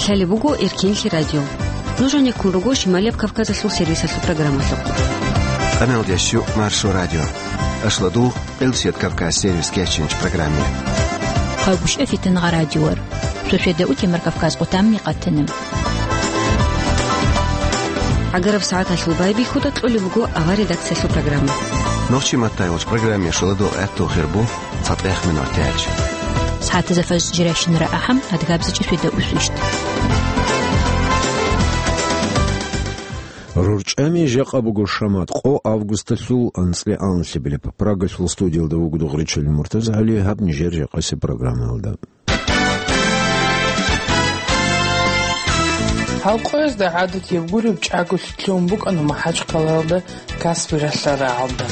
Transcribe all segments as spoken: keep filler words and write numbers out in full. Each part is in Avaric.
Лъалеб буго Эркенлъи радио. Нуж гьанеккун руго Шималияб Кавказалъул сервисалъул программалъухъ. Къаналдящу Маршо радио. Ашладу Къилсият Кавказ сервис кечинч программе. Къагушев Фитнагъа радиор. Сосведа утемар Кавказ къутамни къатиним. ГӀагараб сагӀаталъул байбихьуда кьолеб буго авар редакциялъул программа. Нохчи маттайолч программе шуладул гӀатту хирбу цатӀех минор тяч. СагӀатаза фаз жиращинара ахӀам адгабзичӀи сосведа усвищт. РорчӀами жакъа буго шамат къо августалъул анцӀила анлъабилеб. Прагалъул студиялда вуго Дугъричил МуртазагӀали, гьаб нижер жакъасеб программаялда. Гьалкъоязда гӀадатияб гуреб чӀаголъи лъугьун букӀана МахӀачхъалаялда Каспи ралъа рагӀалда.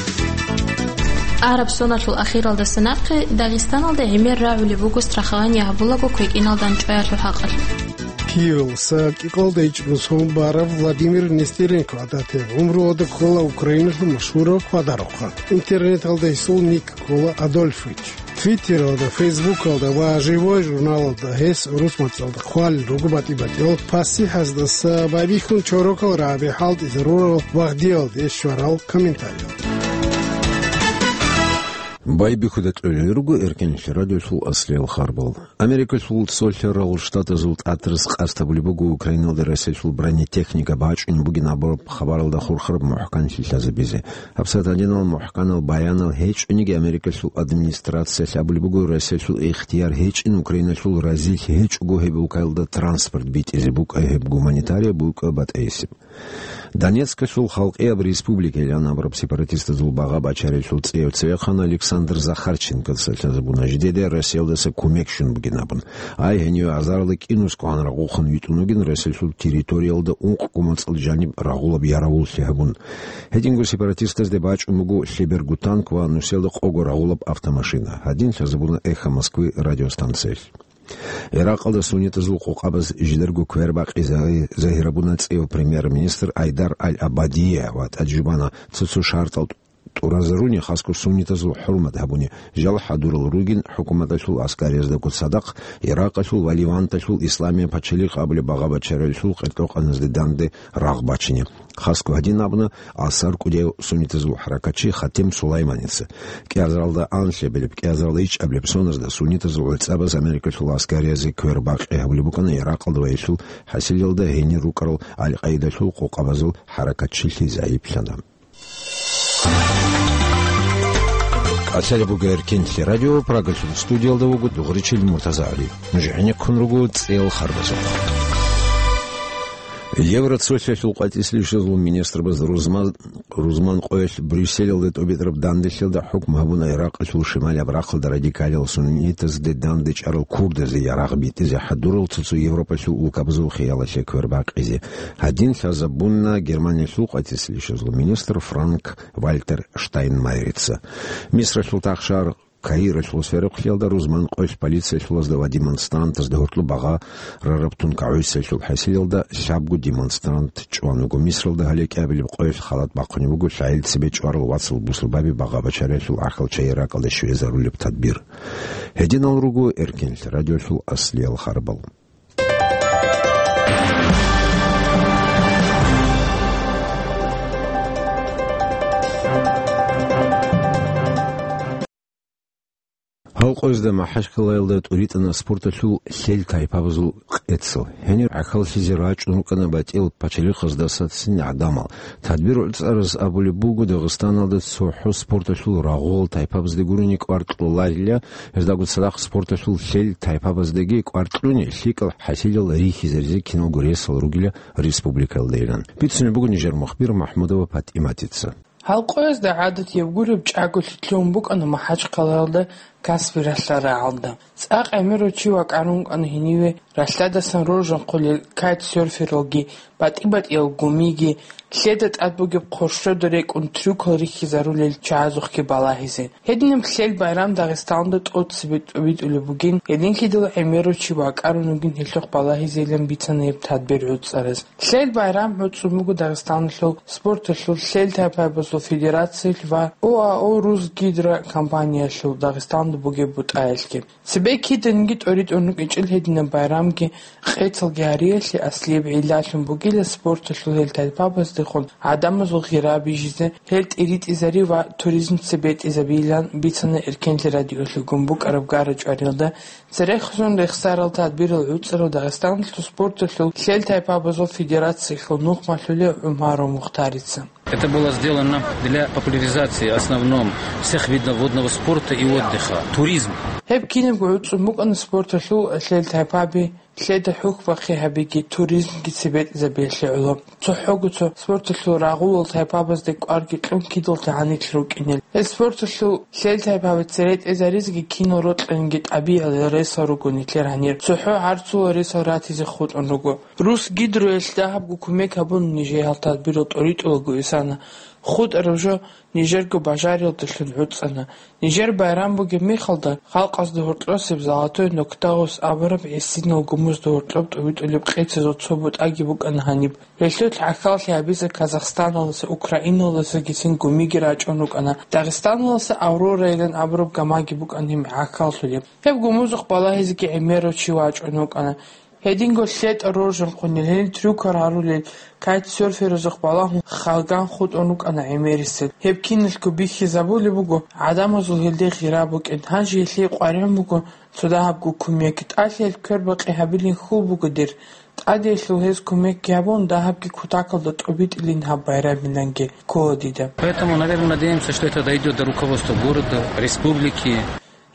Араб соналъул ахиралдаса нахъе Дагъистаналда гӀемер рагӀулеб буго страхование гьабулаго квекӀиналда анцӀго чӀваялъул хӀакъалъулъ. Киевалъуса кӀикъалда ичӀго сон бараб Владимир Нестеренко гӀадатияб гӀумруялда ккола Украиналъул машгьурав хьвадарухъан. Интернеталда гьесул ник ккола Адольфович. Твиттералда, Фейсбукалда ва Живой журналалда гьес урус мацӀалда хъвалел руго батӀи-батӀиял пасихӀаздаса байбихьун чорокал рагӀаби хӀалтӀизарурал вагьдиялде щварал комментариялда. Байбихьуда кьолел руго Эркенлъи радиолъул аслиял харбал. Америкалъул цолъарал штатазул тӀатарас къасд гьабулеб буго Украиналда Россиялъул бронетехника бачӀунеб бугин абураб хабаралда хурхараб мухӀканлъи лъазабизе. ГьабсагӀат гьадинал мухӀканал баянал гьечӀониги Америкалъул администрациялъ абулеб буго, Россиялъул ихтияр гьечӀин Украиналъул разилъ гьечӀого гьеб улкаялда транспорт битӀизе букӀа гьеб гуманитарияб букӀа батӀейсеб. Донецкалъул халкъияб республикайилан абураб сепаратистазул багъа бачаралъул цӀеяв цевехъан Александр Захарченкоца лъазабуна жидеда Россиялдаса кумек щун бугин абун. Ай, гьенив азаралда кӀинусго гьанрагъухъан витӀун вугин Россиялъул территориялда ункъго мацӀал жаниб рагъулаб яравуллъи гьабун. Гьединго сепаратистазде бачӀун буго лъеберго танк ва нусиялда къого рагъулаб автомашина. Гьадин лъазабуна «Эхо Москвы» радиостанциялъ. Иракъалда суннитазул къокъабаз жидерго квербакъи загьи-, загьирабуна цӀеяв премьер-министр Айдар аль-Абадие ва тӀаде жубана цо-цо шартӀал тӀуразаруни, хасго суннитазул хӀурмат гьабуни, жал хӀадурал ругин хӀукуматалъул аскарияздаго цадахъ Иракъалъул ва Леванталъул исламияб пачалихъ абулеб багъа бачаралъул къеркьокъаназде данде рагъ бачине. Хасго гьадин абуна Алсар кӀудияв суннитазул хӀаракатчи Хатим Сулайманица. КӀиазаралда анлъабилеб, кӀиазаралда ичӀабилеб соназда суннитазул гӀицӀабаз Америкалъул аскариязги квербакъи гьабулеб букӀана Иракъалда ва гьелъул хӀасилалда гьенир рукӀарал Аль-Къаидалъул къокъабазул хӀаракатчилъи загӀиплъана. КӀалъалеб буго Эркенлъи радио, Прагалъул студиялда вуго Дугъричил МуртазагӀали. Нуж гӀенеккун руго цӀеял харбазухъ. Евроцолъиялъул къватӀислъи щвезул министрбаз рузман, рузман къоялъ Брюсселалда тӀубитӀараб данделъиялда хӀукму гьабуна Иракъалъул шималияб рахъалда радикалиял суннитазде дандечӀарал курдазде ярагъ битӀизе хӀадурал цо-цо Европалъул улкабазул хиялалъе квербакъизе. Гьадин лъазабуна Германиялъул къватӀислъи щвезул министр Франк Вальтер Штайнмайерица. Мисралъул тахшар Каиралъул сверухълъиялда рузман къоялъ полициялъулазда ва демонстрантазда гьоркьоб багъа рараб тункагӀусиялъул хӀасилалда лъабго демонстрант чӀван вуго. Мисралда гьале кӀиабилеб къоялъ халат бахъунеб буго лъагӀел цебе чӀварал вацал бусурбаби багъа бачаралъул гӀахьалчагӀи Иракъалде щвезарулеб тадбир. Гьединал руго Эркенлъи радиолъул аслиял харбал. Гьалкъоязда МахӀачкъалаялда тӀуритӀана спорталъул лъел тайпабазул къецал. Гьенир гӀахьаллъизе рачӀун рукӀана батӀиял пачалихъаздаса цин гӀадамал. Тадбир гӀуцӀараз абулеб буго, Дагъистаналда цохӀо спорталъул рагъул тайпабазде гурони кӀвар кьоларила, гьездаго цадахъ спорталъул лъел тайпабаздаги кӀвар кьуни, лъикӀал хӀасилал рихьизаризе киналго ресал ругила республикаялдайилан. Бицунеб буго нижер мухбир МахӀмудова ПатӀиматица. Гьалкъоязда гӀадатияб гуреб чӀаголъи лъугьун букӀана МахӀачкъалаялда Каспи ралъа рагӀалда. ЦӀакъ гӀемерав чи вакӀарун вукӀана гьениве ралъадасан роржанхъулел кайтсерфералги, батӀи-батӀиял гумиги, лъеда тӀад бугеб хъуршода рекӀун трюкал рихьизарулел чагӀазухъги балагьизе. Гьединаб лъел байрам Дагъистаналда тӀоцебе тӀубитӀулеб бугин, гьединлъидал гӀемерав чи вакӀарун вугин гьелъухъ балагьизейилан бицана гьеб тадбир гӀуцӀараз. Лъел байрам гӀуцӀун буго Дагъистаналъул спорталъул лъел тайпабазул федерациялъ ва ОАО «Русгидро» компаниялъул Дагъистан бугеб бутӀаялъги. Цебе киданиги тӀоритӀун рукӀинчӀел гьединаб байрамги къецалги гьариялъе аслияб гӀиллалъун бугила спорталъул гьел тайпабаздехун гӀадамазул гъира бижизе, гьел тӀиритӀизари ва туризм цебетӀизабилан бицана Эркенлъи радиолъугун букӀараб гара-чӀвариялда. Церехъазун рехсарал тадбирал гӀуцӀарал Дагъистаналъул спорталъул лъел тайпабазул федерациялъул нухмалъулев ГӀумаров Мухтарица. Это было сделано для популяризации, в основном, всех видов водного спорта и отдыха, туризм. Гьеб кинабго гӀуцӀун букӀана спорталъул лъел тайпаби, лъеда хӀухьбахъи гьабиги, туризмги цебетӀизабиялъе гӀоло. ЦохӀого цо спорталъул рагъулал тайпабазде кӀварги кьун кидал тагӀанилъ рукӀинел. Гьел спорталъул лъел тайпаби церетӀезаризеги кинал рокьинги тӀабигӀал ресал руго нилъер гьанир. ЦохӀо гӀарцул ресал ратизе хутӀун руго. Рус гидроялъ дагьабго кумек гьабун нижее гьал тадбирал тӀоритӀулаго исана. ХутӀараб жо нижерго бажариялдалъун гӀуцӀана. Нижер байрам бугеб мехалда, халкъазда гьоркьосеб Золотой Ноктагъос абураб гӀисинал гумузда гьоркьоб тӀубитӀулеб къецазул цо бутӀаги букӀана гьаниб. Гьелъул гӀахьаллъи гьабизе Казахстаналдаса, Украиналдасагицин гумиги рачӀун рукӀана. Дагъистаналдаса Аврорайилан абураб гамаги букӀана гьеб гӀахьаллъулеб. Гьеб гумузухъ балагьизеги гӀемерав чи вачӀун вукӀана. Гьединго лъетӀа роржанхъунел, гьел трюкар гьарулел, кайтсерферазухъ балагьун, халган хутӀун рукӀана гӀемерисел. Гьеб киналго бихьизабулеб буго гӀадамазул гьелде гъира букӀин. Гьанже гьелъие къваригӀун буго цо дагьабго кумек. ТӀалъи гьел квербакъи гьабилин хьул буго дир. ТӀадегӀлъул гьез кумекги гьабун, дагьабги кутакалда тӀубитӀилин гьаб байрамиланги ккола дида. Поэтому, наверное, надеемся, что это дойдёт до руководства города, республики.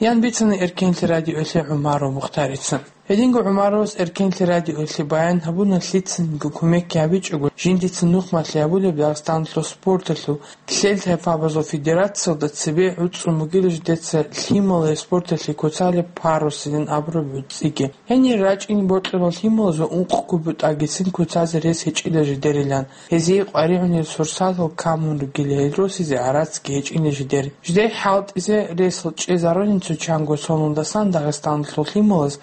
Ян бицана Эркенлъи радиоялъе ГӀумаров Мухтарица. Гьединго ГӀумаровас Эркенлъи радиоялъе баян гьабуна, лъицаниги кумекги гьабичӀого, жиндица нухмалъи гьабулеб Дагъистаналъул спорталъул лъел тайпабазул федерациялда цебе гӀуцӀун бугила жидеца лъималазе спорталъе куцалеб парусилан абураб гӀуцӀиги. Гьенир рачӀин бокьарал лъималаз ва ункъго бутӀагицин куцазе рес гьечӀила жидерилан. Гьезие къваригӀунел сурсатал камун ругел гьел росизе гӀарацги гьечӀила жидер. Жидер хӀалтӀизе ресал чӀезарулин цо чанго соналдасан Дагъистаналъул лъималаз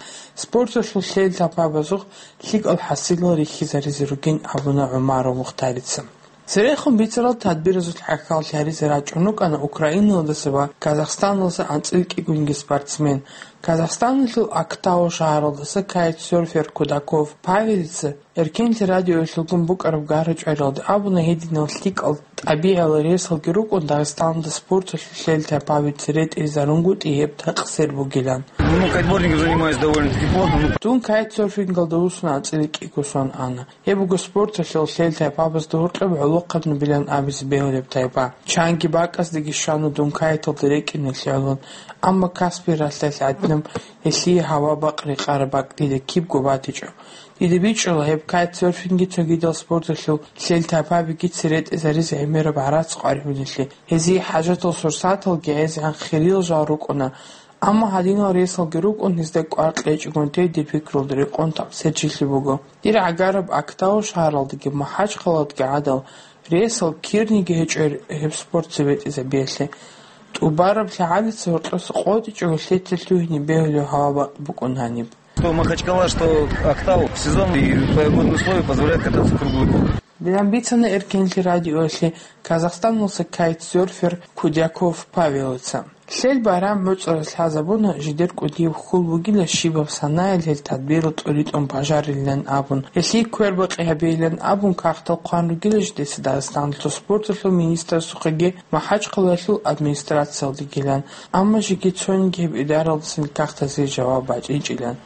спорталъул лъел тайпабазухъ лъикӀал хӀасилал рихьизаризе ругин абуна ГӀумаров Мухтарица. Церехун бицарал тадбиразул гӀахьаллъи гьаризе рачӀун рукӀана Украиналдаса ва Казахстаналдаса анцӀила кӀигунги спортсмен. Казахстаналъул Актау шагьаралдаса кайтсерфер Кудаков Павелица Эркенлъи радиоялъулгун букӀараб гара-чӀвариялда абуна гьединал лъикӀал тӀабигӀал ресалги рукӀун Дагъистаналда спорталъул лъел тайпаби церетӀезарунгутӀи гьеб такъсир бугилан. Ну, кайтбордингом занимаюсь довольно-таки плотно, ну. Дун кайтсерфингалда вуссун анцӀила кӀиго сон ана. Гьеб буго спорталъул лъел тайпабазда гьоркьоб гӀолохъаб набилан абизе бегьулеб тайпа. Чанги бакӀаздеги щвана дун кайталда рекӀиналъе гӀоло, амма Каспий ралъдалъ гӀадинаб гьелъие гьава-бакъ рекъараб бакӀ дида кибго батичӀо. Дида бичӀчӀула гьеб кайтсерфинги цогидал спорталъул лъел тайпабиги церетӀезаризе гӀемераб гӀарац къваригӀунелъе. Гьезие хӀажатал сурсаталги гӀезегӀан хириял жал рукӀуна, амма гьадинал ресалги рукӀун, гьезда кӀвар кьечӀогун тей дир пикрулда рекъон такъсир жилъи буго. Дир гӀагараб Актау шагьаралдаги МахӀачхъаладаги гӀадал ресал кирниги гьечӀо гьеб спорт цебетӀезабиялъе. ТӀубараб лъагӀалица гьоркьоса къотӀичӀого лъеца лъугьине бегьулев гьава-бакъ букӀун гьаниб. Что Махачкала, что Актау, сезон и погодные условия позволяют кататься круглый год. Дилан бицана Эркенлъи радиоялъе Казахстаналдаса кайтсерфер Кудяков Павелица. Лъел байрам гӀуцӀараз лъазабуна, жидер кӀудияб хьул бугила щибаб санаялъ гьел тадбирал тӀуритӀун бажарилан абун, гьелъие квербакъи гьабейилан абун кагътал хъван ругила жидеца Дагъистаналъул спорталъул министрасухъеги МахӀачхъалаялъул администрациялдегилан, амма жеги цониги гьеб идаралдасан кагътазе жаваб бачӀинчӀилан.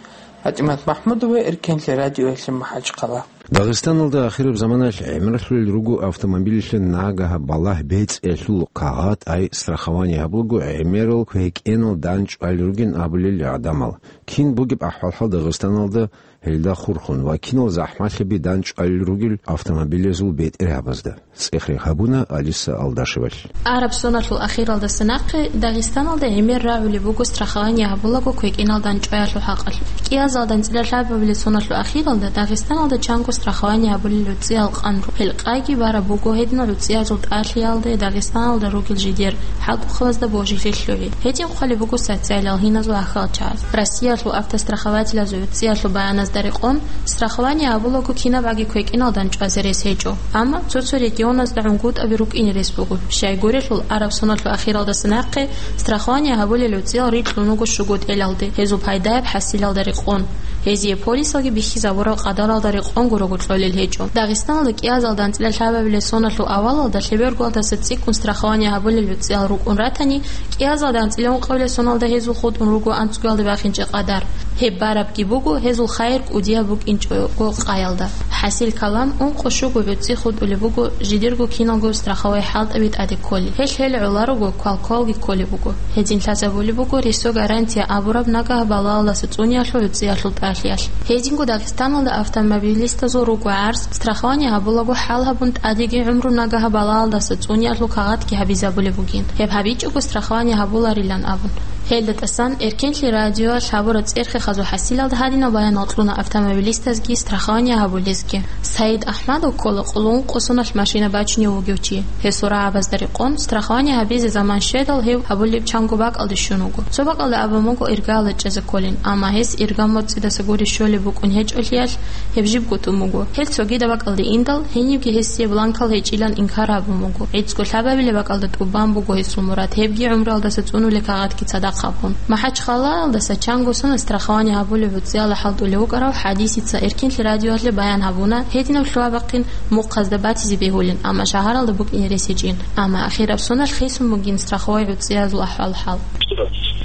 ПатӀимат МахӀмудова, Эркенлъи радиоялъе, МахӀачхъала. Дагъистаналда ахираб заманалъ гӀемерлъулел руго автомобилалъе нагагь балагь бецӀиялъул кагъат, ай страхование гьабулаго гӀемерал квекӀенал дандчӀвалел ругин абулел гӀадамал. Кин бугеб ахӀвал-хӀал Дагъистаналда гьелда хурхун ва кинал захӀмалъаби дандчӀвалел ругел автомобилазул бетӀергьабазда? ЦӀех-рех гьабуна Алиса Алдашевалъ. Араб соналъул ахиралдаса нахъе Дагъистаналда гӀемер рагӀулеб буго страхование гьабулаго квекӀенал дандчӀваялъул хӀакъалъулъ. КӀиазалда анцӀила лъабабилеб соналъул ахиралда Дагъистаналда чанго Страхование гьабулел гӀуцӀиял къан рукӀ. Гьелкъайги бараб буго гьединал гӀуцӀиязул тӀалъиялде Дагъистаналда ругел жидер хӀалтӀухъабазда божилъи лъугӀи. Гьедин хъвалеб буго социалиял гьиназул ахӀиялчагӀаз. Россиялъул автострахователазул гӀуцӀиялъул баяназда рекъон, страхование гьабулаго кинабгӀаги квекӀиналдани чӀвазе рес гьечӀо. Амма цо-цо регионазда гӀунгутӀаби рукӀине рес буго. Щайгурелъул, араб соналъул ахиралдаса нахъе страхование гьабулел гӀуцӀиял рикьун руго щуго тӀелалде, гьезул пайдаяб хӀасилалда рекъон. Гьезие полисалги бихьизабураб къадаралда рекъон гурого кьолел гьечӀо. Дагъистаналда кӀиазалда анцӀила лъабабилеб соналъул авалалда лъебергоялдаса цӀикӀкӀун страхование гьабулел гӀуцӀиял рукӀун ратани, кӀиазалда анцӀила ункъабилеб соналда гьезул хутӀун руго анцӀгоялда бахинчӀеб къадар. Гьеб барабги буго гьезул хайир кӀудияб букӀинчӀого къаялда. ХӀасил калам, ункъо-щуго гӀуцӀи хутӀулеб буго жидерго киналго страховой хӀалтӀаби тӀаде кколел. Гьелъ гьел гӀоларого квалквалги кколеб буго. Гьедин лъазабулеб буго рисо гарантия абураб нагагь балагьалдаса цӀуниялъул гӀуцӀиялъул тӀалъиялъ. Гьединго Дагъистаналда автомобилистазул руго гӀарз, страхование гьабулаго хӀал гьабун тӀадеги гӀумру нагагь балагьалдаса цӀуниялъул кагъатги гьабизабулеб бугин, гьеб гьабичӀого страхование гьабуларилан абун. Гьелда тӀасан Эркенлъи радиоялъ гьабураб цӀерхъи хазул хӀасилалда гьадинаб баянал кьуна автомобилистазги страхование гьабулезги. Саид Ахмадов ккола къулун къосуналъ машина бачунев вугев чи. Гьесул рагӀабазда рекъон, страхование гьабизе заман щведал гьев гьабулеб чанго бакӀалде щун вуго. Цо бакӀалда абун буго иргала чӀезе кколин, амма гьес ирга моцӀидаса гури щолеб букӀун гьечӀолъиялъ, гьеб жибго тун буго. Гьел цогидаб бакӀалде индал, гьенибги гьесие бланкал гьечӀилан инкар гьабун буго. ГӀицӀго лъабабилеб бакӀалда тӀубан буго гьесул мурад, гьебги гӀумруялдаса цӀунулел кагъатги цадахъ гьабун. МахӀачхъалаялдаса чанго соналъ страхование гьабулеб гӀуцӀияла хӀалтӀулев вукӀарав ХӀадисица Эркенлъи радиоялъе баян гьабуна, гьединаб лъугьа-бахъин мухъазда батизе бегьулин, амма шагьаралда букӀине рес гьечӀин. Амма ахираб соналъ хисун бугин страховой гӀуцӀиязул ахӀвал-хӀал.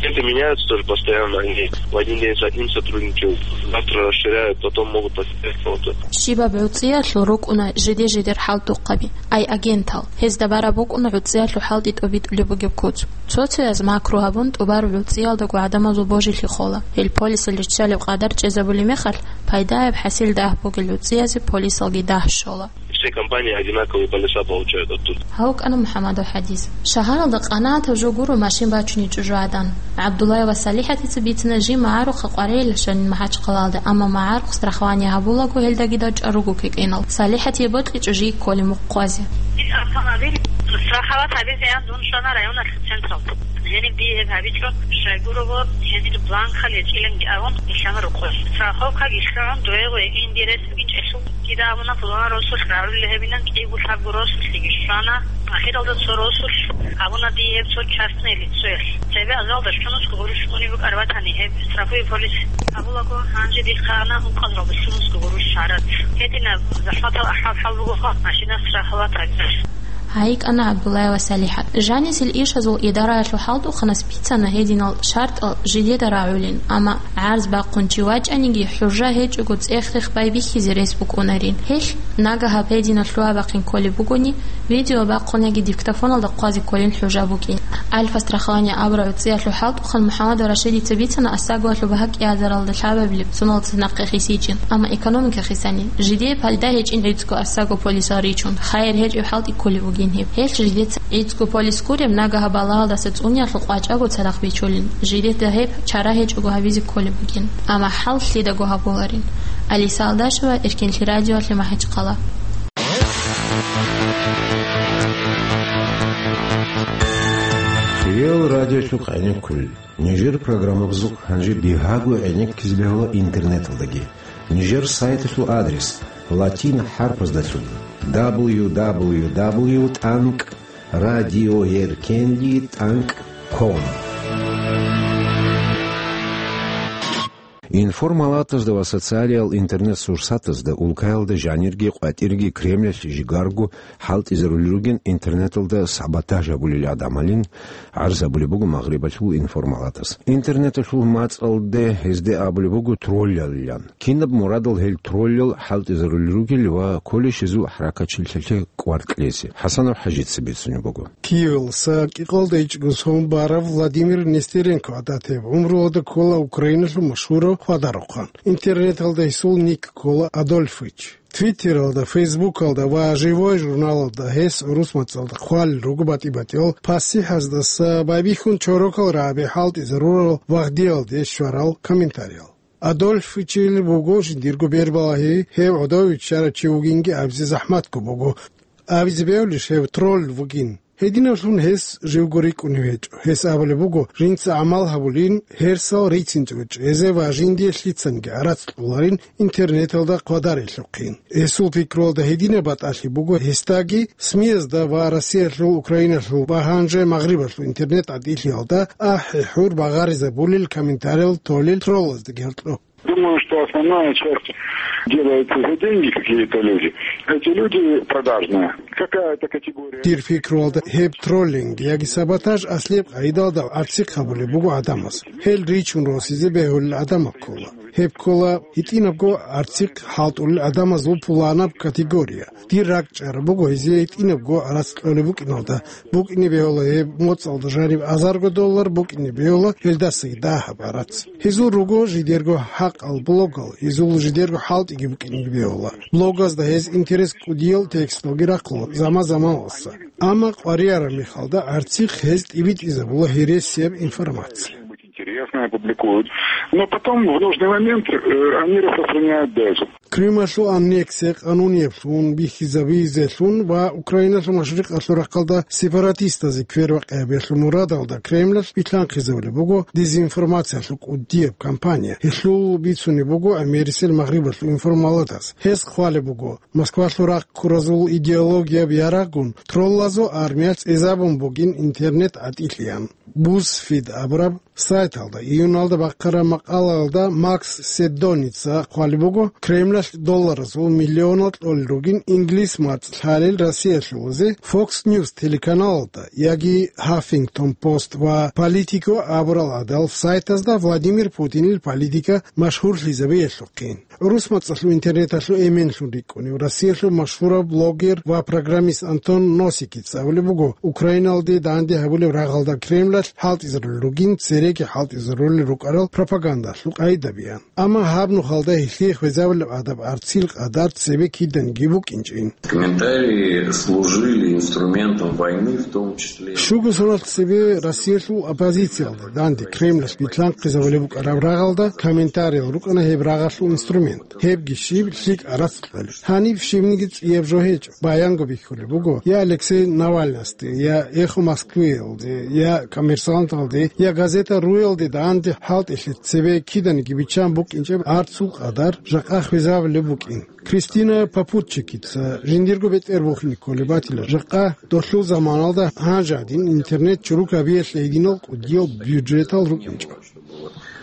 Клиенты меняются тоже постоянно, они в один день с одним сотрудником, завтра расширяют, потом могут потерять кого-то. Щибаб гӀуцӀиялъул рукӀуна жиде-жидер хӀалтӀухъаби, ай агентал. Гьезда бараб букӀуна гӀуцӀиялъул хӀалтӀи тӀобитӀулеб бугеб куц. Цо-цояз макру гьабун, тӀубараб гӀуцӀиялдаго гӀадамазул божилъи хола. Гьел полисал риччалеб къадар чӀезабулеб мехалъ, пайдаяб хӀасил дагь бугел гӀуцӀиязе полисалги дагь щола. Все компании одинаковые полиса получают оттуда. Гьав кӀана МухӀаммадов ХӀадис. Шагьаралда къанагӀатаб жо гуро машин бачуней чӀужугӀадан. ГӀабдуллаева СалихӀатица бицина жив магӀарухъа къваригӀел щванин МахӀачхъалаялде, амма магӀарухъ страхование гьабулаго гьелдагидал чӀвар руго кӀикӀинал. СалихӀатие бокьичӀо жий кколеб мухъ хъвазе. Автомобиль страховать гьабизеян дун щвана районалъул централда. Гьениб дие гьеб гьабичӀо, щайгурого гьенир бланкал гьечӀиланги абун, нилъана рукъой. Страховкаги лъугӀун, дугӀего гьекӀин дирес гьечӀелъул. Дида абуна, пуланаб росулъ рагӀулел гьебинан кӀиго-лъабго росулъеги щвана. Ахиралда цо росулъ абуна дие гьеб цо частное лицоялъ. Цебе азалда щунусго гъурущ унеб букӀар батани, гьеб страховой полис абулаго, гьанже дихъана ункъазаралда щунусго гъурущ гӀарац. Гьединаб захӀматал ахӀвал-хӀал бугоха машина страховать гьабизе. Гьай кӀана ГӀабдуллаева СалихӀат. Жанисел ишазул идараялъул хӀалтӀухъанас бицана гьединал шартӀал жидеда рагӀулин, амма гӀарз бахъун чи вачӀаниги, хӀужа гьечӀого цӀех-рех байбихьизе рес букӀунарин. Гьелъ, нагагьаб гьединал лъугьа-бахъин кколеб бугони, видео бахъун яги диктофоналда хъвазе кколин хӀужа букӀин. Альфа страхование абураб гӀуцӀиялъул хӀалтӀухъан МухӀаммадов Рашидица бицана АСАГОялъул багьа кӀиазаралда лъабабилеб соналъ цинахъе хисичӀин, амма экономика хисани, жидее пайда гьечӀин гӀицӀго АСАГО полисал ричун, хайир гьечӀев хӀалтӀи кколеб бугин гьеб. Гьелъ жидеца гӀицӀго полис гуреб нагагьаб балагьалдаса цӀуниялъул къвачӀаго цадахъ бичулин, жидеда гьеб чара гьечӀого гьабизе кколеб бугин. Амма хӀал лъидаго гьабуларин. Алиса Алдашева, Эркенлъи радиоялъе, МахӀачхъала. Кирилл радиолъухъ гӀенеккулел. Нижер программабазухъ гьанже бигьаго гӀенеккизе бегьула интернеталдаги. Нижер сайталъул адрес: латин хӀарпаздалъун: дабл ю дабл ю дабл ю тӀанкӀ радиоеркенлъи тӀанкӀ ком. Информалатазда ва социалиял интернет-сурсатазда улкаялда жанирги къватӀирги Кремлалъ жигарго хӀалтӀизарулел ругин интернеталда саботаж гьабулел гӀадамалин гӀарз гьабулеб буго Магърибалъул информалатас. Интернеталъул мацӀалде гьезде абулеб буго троллалилан. Кинаб мурадал гьел троллал хӀалтӀизарулел ругел ва кколищ гьезул хӀаракатчилъиялъе кӀвар кьезе? ХӀасанов ХӀажица бицунеб буго. Киевалъуса кӀикъоялда ичӀго сон барав Владимир Нестеренко гӀадатаб гӀумруялда ккола Украиналъул машгьурав хвадарухъан. Интернеталда гьесул ник ккола Адольфыч. Твиттералда, Фейсбукалда ва Живой журналалда гьес гӀурус мацӀалда хъвалел руго батӀи-батӀиял пасихӀаздаса байбихьун чорокал рагӀаби хӀалтӀизарурал вагъдиялде щварал комментариял. Адольфичил буго жиндирго бербалагьи, гьев гӀодов виччарав чи вугинги абизе захӀматго буго. Абизе бегьулищ гьев тролль вугин? Гьединаблъун гьес живго рикӀкӀунев гьечӀо. Гьес абулеб буго, жинца гӀамал гьабулин, гьерсал рицинчӀого чӀезе ва жиндие лъицанги гӀарац кьоларин интернеталда хъвадарелъухъин. Гьесул пикруялда гьединаб батӀалъи буго гьесдаги, СМИ-язда ва Россиялъул, Украиналъул ва гьанже Магърибалъул интернет-гӀатӀилъиялда ахӀи-хӀур багъаризабулел, комментариял толел троллаздаги гьоркьоб. Думаю, что основная часть делается за деньги какие-то люди. Эти люди продажные. Какая-то категория. Дир пикруялда, гьеб троллинг яги саботаж аслияб къагӀидалда гӀарцихъ гьабулеб буго гӀадамаз. Гьел ричун росизе бегьулел гӀадамал ккола. Гьеб ккола гьитӀинабго гӀарцихъ хӀалтӀулел гӀадамазул пуланаб категория. Дир ракӀчӀараб буго гьезие гьитӀинабго гӀарац кьолеб букӀиналда. БукӀине бегьула гьеб моцӀалда жаниб азарго доллар, букӀине бегьула гьелдасаги дагьаб гӀарац. Гьезул руго жидерго хӀакъал блогал, гьезул жидерго хӀалтӀиги букӀинеги бегьула. Блогазда гьез интерес кӀудиял тексталги рахъула заман-заманалса. Амма къваригӀараб мехалда гӀарцихъ гьез тӀибитӀизабула гьересияб информация. Интересное публикуют. Но потом, в нужный момент, э, они распространяют дальше. Крымалъул аннексия къанунияблъун бихьизабизелъун ва Украиналъул машрикъалъул рахъалда сепаратистазе квербакъи гьабиялъул мурадалда Кремлалъ билълъанхъизабулеб буго дезинформациялъул кӀудияб кампания. Гьелъул бицунеб буго америсел Магърибалъул информаладаз. Гьез хъвалеб буго, Москвалъул рахъ ккуразул идеологияб ярагъгун троллазул армиялъ цӀезабун бугин интернет-гӀатӀилъиян. BuzzFeed абураб сайталда июналда бахъараб макъалаялда Макс Седдоница хъвалеб буго, Кремлалъ долларазул миллионал кьолел ругин инглис мацӀ лъалел Россиялъулазе Fox News телеканалалда яги Huffington Post ва Politico абурал гӀадал сайтазда Владимир Путинил политика машгьурлъизабиялъухъин. ГӀурус мацӀалъул интернеталъул эменлъун рикӀкӀунев Россиялъул машгьурав блогер ва программист Антон Носикица абулеб буго, Украиналде данде гьабулеб рагъалда Кремлалъ хӀалтӀизарулел ругин, цереги хӀалтӀизарулел рукӀарал пропагандалъул къагӀидабиян. Амма гьаб нухалда гьелъие хвезабулеб гӀадаб гӀарцил къадар цебе киданиги букӀинчӀин. Комментарии служили инструментом войны, в том числе. Щуго соналъ цебе Россиялъул оппозициялда данде Кремлалъ билълъанхъизабулеб букӀараб рагъалда комментариял рукӀана гьеб рагъалъул инструмент. Гьебги щиб, лъикӀ гӀарац кьолеб. Гьаниб щибниги цӀияб жо гьечӀо. Баянго бихьулеб буго, я Алексей Навальныйасде, я Эхо Москвыялде, я Коммерсанталде, я Газета руялде данде хӀалтӀилъи цебе киданиги биччан букӀинчӀеб гӀарцул къадар жакъа хвезабулеб букӀин. Кристина Попутчикица жиндирго бетӀер бухине кколеб батила, жакъа долъул заманалда гьанже гӀадин интернет чурукабиялъе гьединал кӀудиял бюджетал рукӀинчӀо.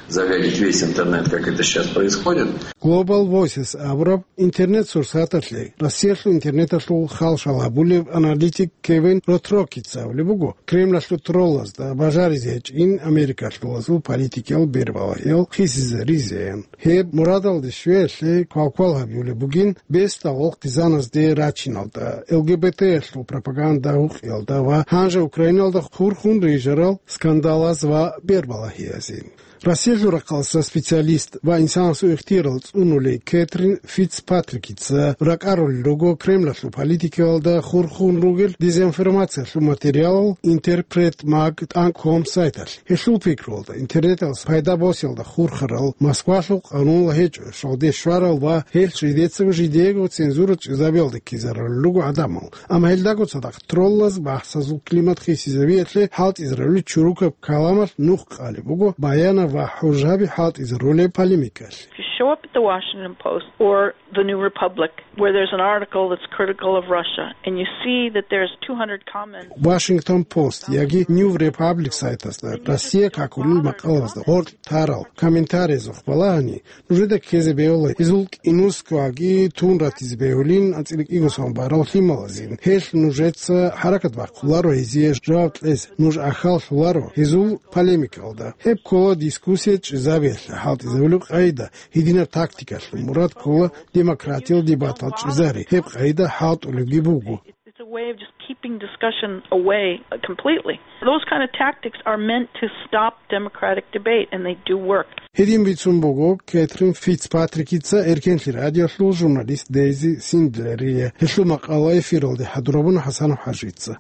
Загадить весь интернет, как это сейчас происходит. Global Voices абураб интернет-сурсаталъе Россиялъул интернеталъул халшал гьабулев аналитик Кевин Ротрокица абулеб буго, Кремлалъул троллазда бажаризе гьечӀин Америкалъулазул политикиял бербалагьиял хисизаризеян. Гьеб мурадалде щвеялъе квалквал гьабиулеб бугин бесдал гъизаназде рачиналда, ЛГБТ-ялъул пропаганда гьукъиялда ва гьанже Украиналда хурхун рижарал скандалаз ва бербалагьиязин. Россиялъул рахъалъа специалист ва инсанасул ихтиярал цӀунулей Кэтрин Фицпатрикица ракӀарулел руго Кремлалъул политикаялда хурхун ругел дезинформациялъул материалал Интерпрет Маг тӀанкӀ ком сайталъ. Гьелъул пикруялда, интернеталъ пайда босиялда хурхарал Москвалъул къанунал гьечӀо, щвалде щварал ва гьелъ жидецаго жидеего цензура чӀезабиялда ккезарулел руго гӀадамал. Амма гьелдаго цадахъ троллаз бахӀсазул климат хисизабиялъе хӀалтӀизарулел чурукаб каламалъ нух къалеб буго баянаб ва хӀужаби хӀалтӀизарулеб полемикалъе. If you show up at the Washington Post or the New Republic, where there's an article that's critical of Russia, and you see that there's two hundred comments. Washington Post яги New Republic сайтазда Россия какулел макъалазда гъоркь тарал комментариязухъ балагьани, нужеда ккезе бегьула, гьезул кӀинусгоги тун ратизе бегьулин анцӀила кӀиго сон барал лъималазин. Гьелъ нужеца хӀаракат бахъуларо гьезие жаваб кьезе, нуж ахьаллъуларо гьезул полемикалда. Гьеб ккола дискуссия чӀезабиялъе хӀалтӀизабулеб къагӀида. Гьединаб тактикалъул мурад ккола демократиял дебатал чӀезари. Гьеб къагӀида хӀалтӀулебги буго. It's a way of just keeping discussion away, uh, completely. Those kind of tactics are meant to stop democratic debate, and they do work. Гьедин бицун буго Кэтрин Фицпатрикица Эркенлъи радиолъул журналист Дейзи Синдлерие гьелъул макъала эфиралде хӀадурабун ХӀасан ХӀажица.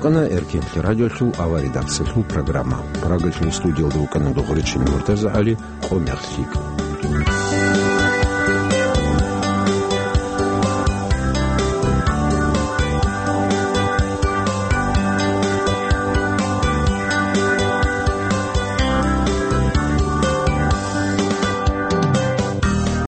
Къана Эркинлъи радиолъул авария дапсалъул программа. Прагалъул студиялда вукӀана Дугъричин МуртазагӀали, къо мехлъи.